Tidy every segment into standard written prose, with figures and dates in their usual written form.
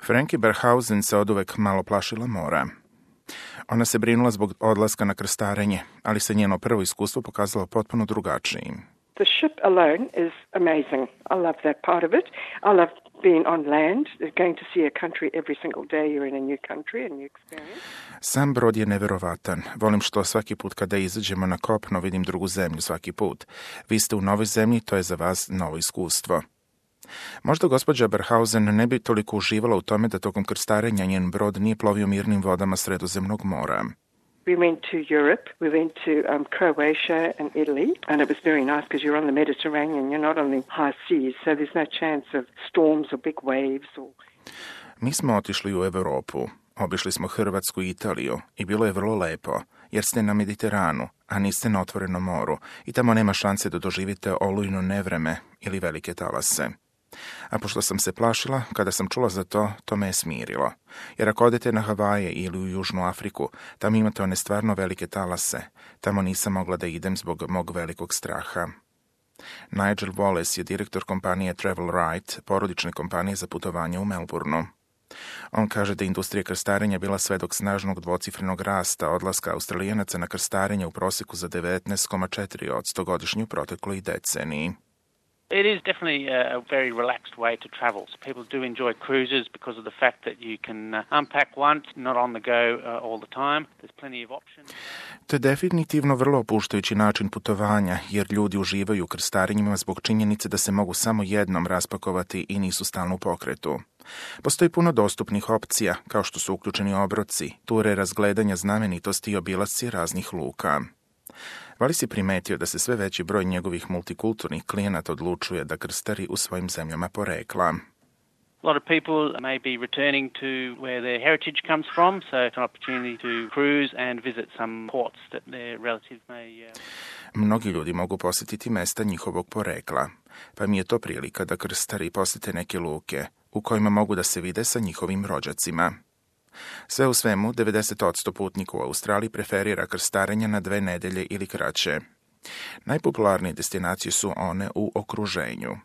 Frankie Berhausen se oduvek malo plašila mora. Ona se brinula zbog odlaska na krstarenje, ali se njeno prvo iskustvo pokazalo potpuno drugačijim. The ship alone is amazing. I love that part of it. I love being on land, going to see a country every single day. You're in a new country, a new experience. Sam brod je neverovatan. Volim što svaki put kada izađemo na kopno vidim drugu zemlju svaki put. Vi ste u novoj zemlji, to je za vas novo iskustvo. Možda gospođa Berhausen ne bi toliko uživala u tome da tokom krstarenja njen brod nije plovio mirnim vodama Sredozemnog mora. We went to Europe, we went to Croatia and Italy, and it was very nice because you're on the Mediterranean, you're not on the high seas, so there's no chance of storms or big waves. Mi smo otišli u Europu, obišli smo Hrvatsku i Italiju i bilo je vrlo lepo, jer ste na Mediteranu, a niste na otvorenom moru i tamo nema šanse da doživite olujno nevreme ili velike talase. A pošto sam se plašila, kada sam čula za to, to me je smirilo. Jer ako odete na Havaje ili u Južnu Afriku, tamo imate one stvarno velike talase. Tamo nisam mogla da idem zbog mog velikog straha. Nigel Wallace je direktor kompanije Travel Right, porodične kompanije za putovanje u Melbourneu. On kaže da je industrija krstarenja bila svedok snažnog dvocifrenog rasta odlaska Australijanaca na krstarenje u proseku za 19,4% godišnje u protekloj deceniji. It is definitely a very relaxed way to travel. So people do enjoy cruises because of the fact that you can unpack once, not on the go all the time. There's plenty of options. To je definitivno vrlo opuštajući način putovanja, jer ljudi uživaju u krstarenjima zbog činjenice da se mogu samo jednom raspakovati i nisu stalno u pokretu. Postoji puno dostupnih opcija, kao što su uključeni obroci, ture razgledanja znamenitosti i obilasci raznih luka. Vali si primetio da se sve veći broj njegovih multikulturnih klijenata odlučuje da krstari u svojim zemljama porekla. A lot of people may be returning to where their heritage comes from, so it's an opportunity to cruise and visit some ports that their relatives may... Mnogi ljudi mogu posjetiti mesta njihovog porekla, pa mi je to prilika da krstari posjete neke luke u kojima mogu da se vide sa njihovim rođacima. Sve u svemu, 90% putnika u Australiji preferira krstarenja na 2 nedelje ili kraće. Najpopularnije destinacije su one u okruženju,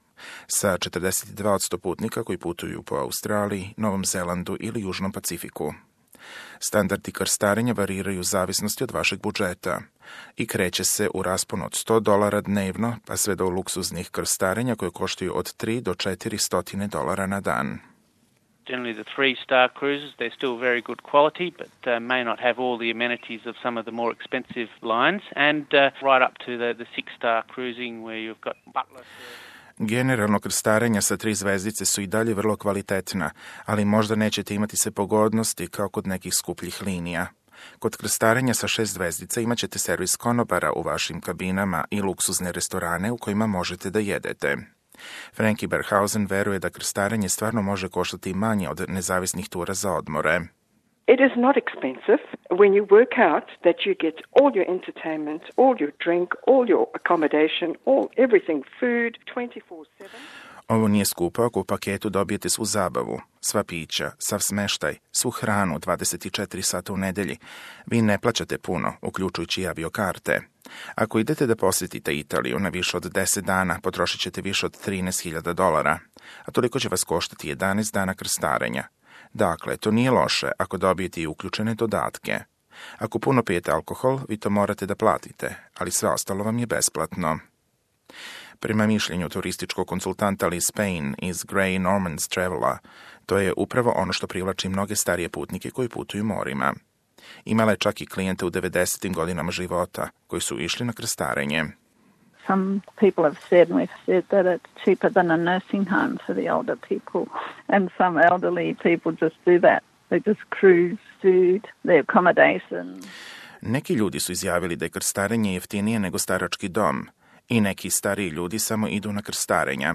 sa 42% putnika koji putuju po Australiji, Novom Zelandu ili Južnom Pacifiku. Standardi krstarenja variraju u zavisnosti od vašeg budžeta i kreće se u rasponu od $100 dnevno pa sve do luksuznih krstarenja koje koštaju od $3 do $400 na dan. Generally the 3-star cruises, they're still very good quality, but may not have all the amenities of some of the more expensive lines, and right up to the 6-star cruising where you've got butler. Generalno krstarenja sa 3 zvezdice su i dalje vrlo kvalitetna, ali možda nećete imati sve pogodnosti kao kod nekih skupljih linija. Kod krstarenja sa 6 zvezdica imat ćete servis konobara u vašim kabinama i luksuzne restorane u kojima možete da jedete. Frankie Berhausen veruje da krstarenje stvarno može koštati manje od nezavisnih tura za odmore. It is not expensive when you work out that you get all your entertainment, all your drink, all your accommodation, everything, food, 24/7. Ovo nije skupo ako u paketu dobijete svu zabavu, sva pića, sav smeštaj, svu hranu 24 sata u nedelji. Vi ne plaćate puno, uključujući i aviokarte. Ako idete da posjetite Italiju na više od 10 dana, potrošit ćete više od $13,000, a toliko će vas koštati 11 dana krstarenja. Dakle, to nije loše ako dobijete i uključene dodatke. Ako puno pijete alkohol, vi to morate da platite, ali sve ostalo vam je besplatno. Prema mišljenju turističkog konsultanta Liz Payne iz Grey Normans Travela, to je upravo ono što privlači mnoge starije putnike koji putuju morima. Imala je čak i klijente u 90. godinama života koji su išli na krstarenje. Some people have said, and we've said that it's cheaper than a nursing home for the older people. And some elderly people just do that. They just cruise, food, their accommodation. Neki ljudi su izjavili da je krstarenje jeftinije nego starački dom i neki stariji ljudi samo idu na krstarenja.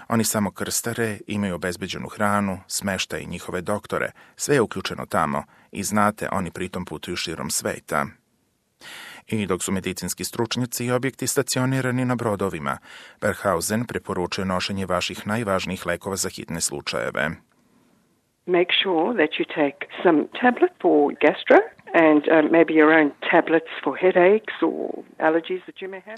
Oni samo krstare, imaju obezbeđenu hranu, smeštaj i njihove doktore, sve je uključeno tamo i znate, oni pritom putuju širom sveta. I dok su medicinski stručnjaci i objekti stacionirani na brodovima, Berhausen preporučuje nošenje vaših najvažnijih lekova za hitne slučajeve. Make sure that you take some tablet for gastro and maybe your own tablets for headaches or allergies that you may have.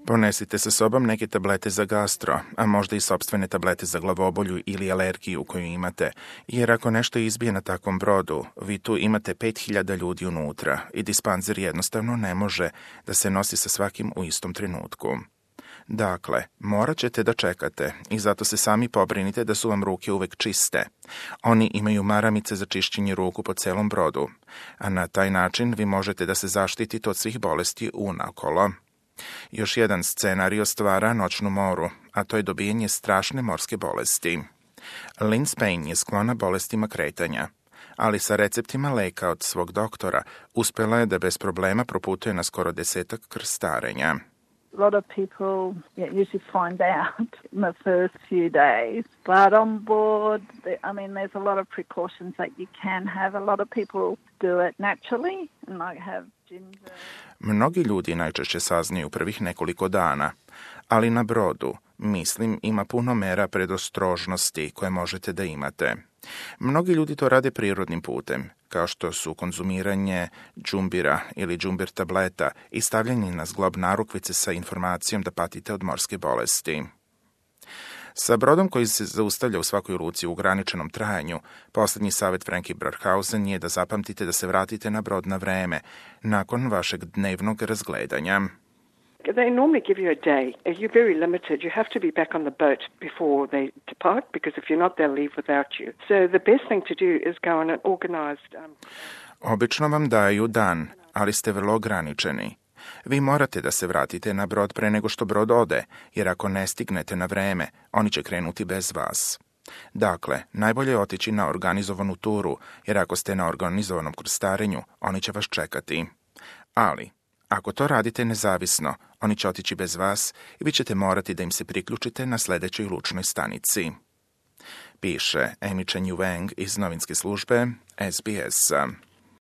Ponesite sa sobom neke tablete za gastro, a možda i sopstvene tablete za glavobolju ili alergiju koju imate, jer ako nešto izbije na takvom brodu, vi tu imate 5000 ljudi unutra i dispanzer jednostavno ne može da se nosi sa svakim u istom trenutku. Dakle, morat ćete da čekate i zato se sami pobrinite da su vam ruke uvek čiste. Oni imaju maramice za čišćenje ruku po celom brodu, a na taj način vi možete da se zaštitite od svih bolesti unakolo. Još jedan scenario stvara noćnu moru, a to je dobijanje strašne morske bolesti. Lynn Spain je sklona bolestima kretanja, ali sa receptima leka od svog doktora uspela je da bez problema proputuje na skoro 10 krstarenja. A lot of people usually find out in the first few days. But on board, there's a lot of precautions that you can have. A lot of people do it naturally and like have ginger. Mnogi ljudi najčešće saznaju prvih nekoliko dana, ali na brodu, mislim, ima puno mera predostrožnosti koje možete da imate. Mnogi ljudi to rade prirodnim putem, kao što su konzumiranje džumbira ili džumbir tableta i stavljanje na zglob narukvice sa informacijom da patite od morske bolesti. Sa brodom koji se zaustavlja u svakoj luci u ograničenom trajanju, posljednji savjet Frankie Burkhausen je da zapamtite da se vratite na brod na vreme, nakon vašeg dnevnog razgledanja. They normally give you a day. You're very limited. You have to be back on the boat before they depart, because if you're not, they'll leave without you. So the best thing to do is go on an organized... Obično vam daju dan, ali ste vrlo ograničeni. Vi morate da se vratite na brod pre nego što brod ode, jer ako ne stignete na vreme, oni će krenuti bez vas. Dakle, najbolje je otići na organizovanu turu, jer ako ste na organizovanom krstarenju, oni će vas čekati. Ali, ako to radite nezavisno, oni će otići bez vas i vi ćete morati da im se priključite na sljedećoj lučnoj stanici. Piše Amy Chen Yu Wang iz novinske službe SBS.